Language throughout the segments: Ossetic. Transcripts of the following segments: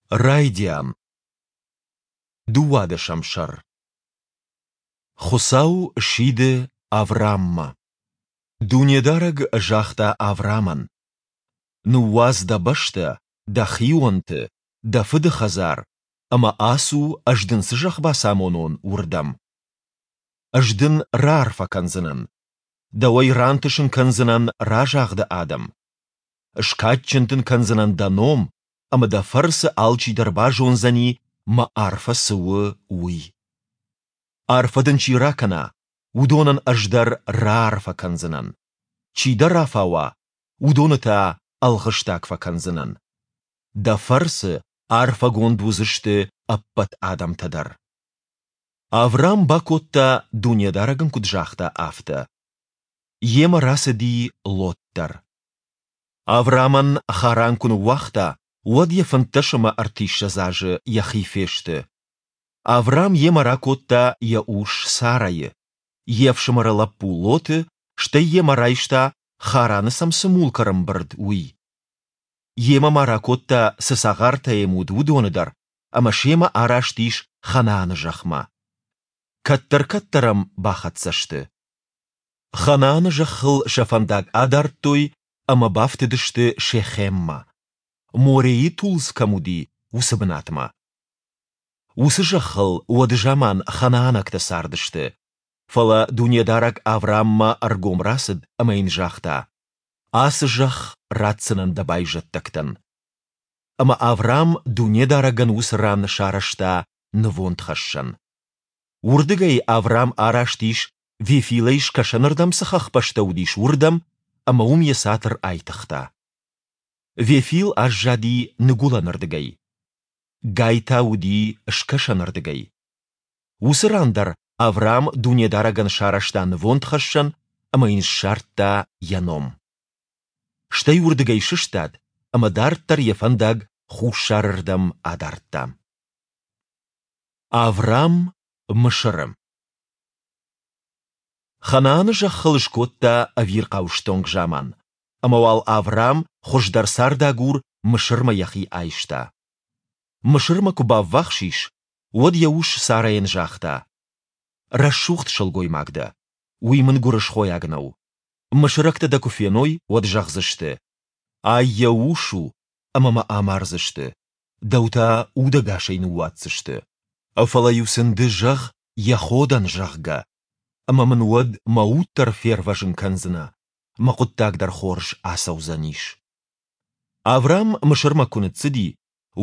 Райдиан. Дыууадӕсӕм сӕр. Хуыцау сиды Аврааммӕ. Дунедарӕг загъта Авраамӕн: Ныууадз дӕ бӕстӕ, дӕ хионты, дӕ фыды хӕдзар ӕмӕ ацу, ӕз дын цы зӕхх бацамонон, уырдӕм. Ӕз дын раарфӕ кӕндзынӕн. Дӕуӕй рантысын кӕндзынӕн разагъды адӕм. Скадджын дын кӕндзынӕн дӕ ном, ӕмӕ дӕ фӕрцы алчидӕр базондзӕни, мӕ арфӕ цы у, уый. Арфӕ дын чи ракӕна, уыдонӕн ӕз дӕр раарфӕ кӕндзынӕн. Чи дӕ рафауа, уыдоны та ӕлгъыстаг фӕкӕндзынӕн. Дӕ фӕрцы арфӕгонд уыдзысты ӕппӕт адӕмтӕ дӕр. Авраам бакодта, Дунедарӕг ын куыд загъта, афтӕ. Йемӕ рацыди Лот дӕр. Авраамӕн Харан куы ныууагъта, уӕд йӕ 35 ӕмӕ ӕртиссӕдз азы йӕхи фесты. Авраам йемӕ ракодта йӕ ус Сарӕйы, йе фсымӕры лӕппу Лоты, стӕй йемӕ райста, Хараны сӕм цы мулк ӕрӕмбырд, уый. Йемӕ ма ракодта, цы цагъартӕ йӕм уыд, уыдоны дӕр, ӕмӕ семӕ араст ис Ханааны зӕхмӕ. Кӕддӕр-кӕддӕр ӕм бахӕццӕ сты. Ханааны зӕххыл сӕ фӕндаг адардтой ӕмӕ бафтыдысты Шехеммӕ, Морейы тулдз кӕм уыди, уыцы бынатмӕ. Уыцы зӕххыл уӕды заман ханаанӕгтӕ цардысты. Фӕлӕ Дунедарӕг Аврааммӕ ӕргом рацыд ӕмӕ йын загъта: Ацы зӕхх ратдзынӕн дӕ байзӕддӕгтӕн. Ӕмӕ Авраам Дунедарӕгӕн уыцы ран сарӕзта нывондхӕссӕн. Уырдыгӕй Авраам араст ис, Вефилӕй скӕсӕнырдӕм цы хӕхбӕстӕ уыдис, уырдӕм, ӕмӕ уым йӕ цатыр айтыгъта. Вефил аззади ныгуылӕнырдыгӕй. Гай та уыди скӕсӕнырдыгӕй. Уыцы ран дӕр Авраам Дунедарӕгӕн сарӕзта нывондхӕссӕн ӕмӕ йын ссардта йӕ ном. Стӕй уырдыгӕй сыстад ӕмӕ дарддӕр йӕ фӕндаг хуссарырдӕм адардта. Авраам Мысыры Ханааны зӕххыл скодта ӕвирхъау стонг заман, ӕмӕ уал Авраам хуыздӕр цардагур Мысырмӕ йӕхи айста. Мысырмӕ куы баввахс ис, уӕд йӕ ус Сарӕйӕн загъта: Рӕсугъд сылгоймаг дӕ, уый мын гуырысхойаг нӕу. Мысырӕгтӕ дӕ куы феной, уӕд зӕгъдзысты: Ай йӕ ус у, ӕмӕ мӕ амардзысты, дӕу та удӕгасӕй ныууадздзысты. Фӕлӕ-иу сын ды зӕгъ, йӕ хо дӕн, зӕгъгӕ, ӕмӕ мын уӕд мӕ уд дӕр фервӕзын кӕндзынӕ, мӕ хъуыддаг дӕр хорз ацӕудзӕнис. Авраам Мысырмӕ куы ныццыди,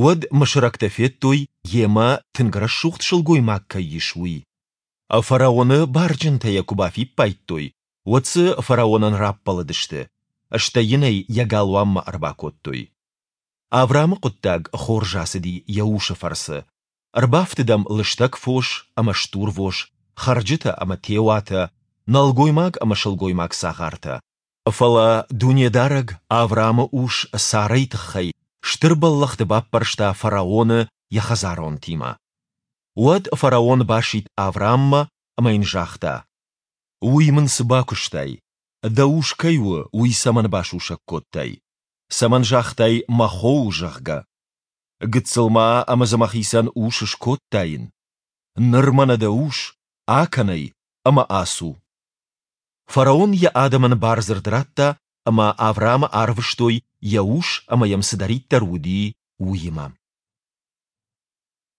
уӕд мысырӕгтӕ федтой, йемӕ тынг рӕсугъд сылгоймаг кӕй ис, уый. Фараоны барджынтӕ йӕ куы бафиппайдтой, уӕд дзы фараонӕн раппӕлыдысты, стӕй йын ӕй йӕ галуанмӕ ӕрбакодтой. Авраамы хъуыддаг хорз ацыди йӕ усы фӕрцы. Ӕрбафтыд ӕм лыстӕг фос ӕмӕ стурвос, хӕрджытӕ ӕмӕ теуатӕ, нӕлгоймаг ӕмӕ сылгоймаг цагъартӕ. Фӕлӕ Дунедарӕг Авраамы ус Сарӕйы тыххӕй стыр бӕллӕхты баппӕрста фараоны йӕ хӕдзаронтимӕ. Уӕд фараон басидт Аврааммӕ ӕмӕ йын загъта: Уый мын цы бакуыстай? Дӕ ус кӕй у, уый цӕмӕн басусӕг кодтай? Цӕмӕн загътай, мӕ хо у, зӕгъгӕ? Гыццыл ма ӕмӕ дзы мӕхицӕн ус скодтаин. Ныр мӕнӕ дӕ ус, акӕн ӕй ӕмӕ ацу. Фараон йӕ адӕмӕн бардзырд радта, ӕмӕ Авраамы арвыстой йӕ ус ӕмӕ йӕм цыдӕриддӕр уыди, уыимӕ.